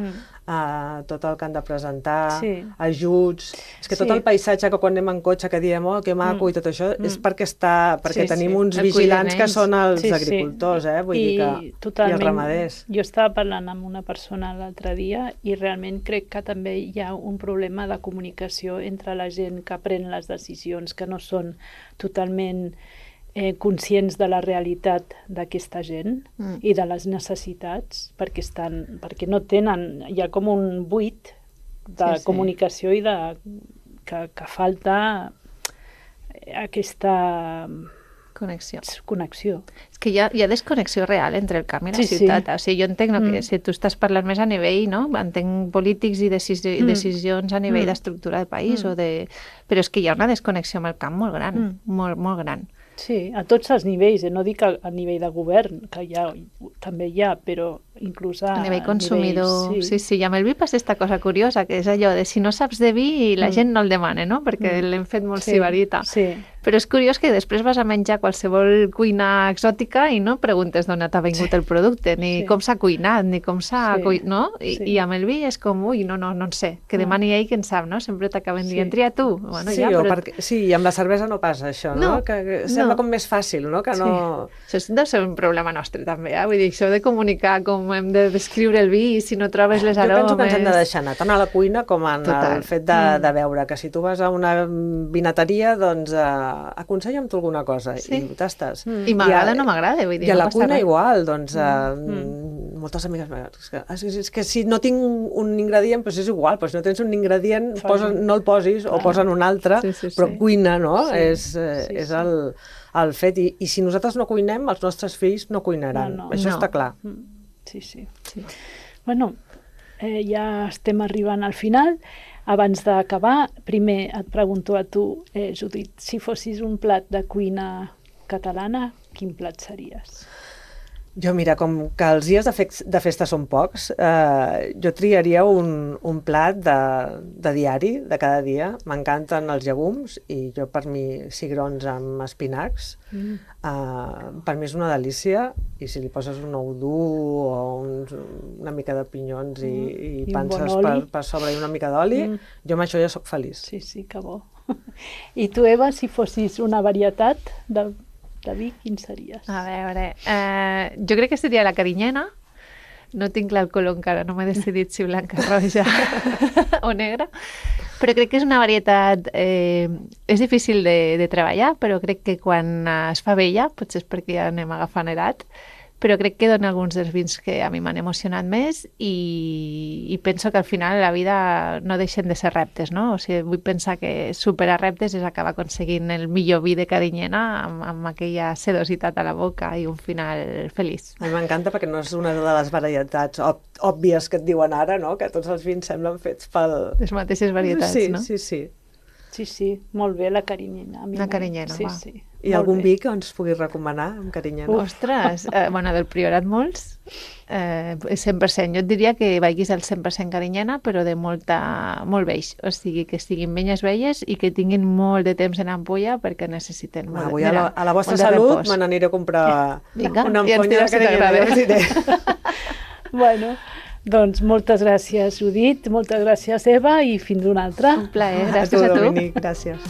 tot el que han de presentar, Sí. ajuts... És que tot Sí. el paisatge que quan anem en cotxe que diem, oh, que maco i tot això, és perquè Sí, tenim sí. uns El cuiden vigilants que ells. són els Sí, sí. agricultors, vull dir que... I els ramaders. Jo estava parlant amb una persona l'altre dia i realment crec que també hi ha un problema de comunicació entre la gent que pren les decisions, que no són totalment conscients de la realitat d'aquesta gent i de les necessitats, perquè no tenen, hi ha com un buit de comunicació i que falta aquesta Connexió. connexió. És que hi ha desconnexió real entre el camp i la Sí, sí. ciutat. O sigui, jo entenc que si tu estàs parlant més a nivell, no? Entenc polítics i decisions a nivell d'estructura de país, però és que hi ha una desconnexió amb el camp molt gran, molt, molt gran. Sí, a tots els nivells, no dic a nivell de govern, que també hi ha, però inclús a nivell consumidor. nivells, Sí, i amb el vi passa aquesta cosa curiosa, que és allò de si no saps de vi, la gent no el demana, no? Perquè l'hem fet molt sibarita. Sí. Però és curiós que després vas a menjar qualsevol cuina exòtica i no preguntes d'on t'ha vingut el producte, ni com s'ha cuinat, ni com s'ha... no? I amb el vi és com, ui, no en sé, que demani ell que en sap, no? Sempre t'acaben dient, tria tu. Bueno, Sí, ja, però... sí, i amb la cervesa no passa això, no? Que sembla com més fàcil, no? Que no... Això deu ser un problema nostre, també, Vull dir, això de comunicar com hem de descriure el vi, si no trobes les aromes... Jo penso que ens hem de deixar anar tant a la cuina com en Total. el fet de veure que si tu vas a una vinateria, doncs aconsella'm tu alguna cosa i ho tastes. I m'agrada o no m'agrada, vull dir, I a no la passa cuina res. igual, doncs moltes amigues és que si no tinc un ingredient, doncs és igual, doncs si no tens un ingredient, no el posis o posa'n un altre, però cuina, no? És el fet. I si nosaltres no cuinem, els nostres fills no cuinaran. Això està clar. Sí. Bueno, ja estem arribant al final. Abans d'acabar, primer et pregunto a tu, Judit, si fossis un plat de cuina catalana, quin plat series? Jo, mira, com que els dies de festa són pocs, jo triaria un plat de diari, de cada dia. M'encanten els llegums i jo, per mi, cigrons amb espinacs. Per mi és una delícia i si li poses un ou dur o una mica de pinyons i panses per sobre i una mica d'oli, jo amb això ja sóc feliç. Sí, que bo. I tu, Eva, si fossis una varietat de vi, quin series? A veure, jo crec que seria la carinyena. No tinc clar el color encara, no m'he decidit si blanca, roja o negra, però crec que és una varietat, és difícil de treballar, però crec que quan es fa vella, potser és perquè ja anem agafant edat, però crec que dona alguns dels vins que a mi m'han emocionat més i penso que al final la vida no deixen de ser reptes, no? O sigui, vull pensar que superar reptes és acabar aconseguint el millor vi de carinyena amb aquella sedositat a la boca i un final feliç. A mi m'encanta perquè no és una de les varietats òbvies que et diuen ara, no? Que tots els vins semblen fets pel... Les mateixes varietats, no? Sí. Sí, molt bé la carinyena. La carinyena, va. Sí. I algun vi que ens puguis recomanar amb carinyena? Ostres, bueno, del Priorat molts, 100%. Jo et diria que vagis al 100% carinyena, però de molt beix. O sigui, que siguin benyes velles i que tinguin molt de temps en ampolla perquè necessiten molt. Avui a la vostra salut me n'aniré a comprar una ampolla de carinyena. Bueno, doncs moltes gràcies, Judit, moltes gràcies, Eva, i fins una altra. Un plaer, gràcies a tu. Dominic, gràcies.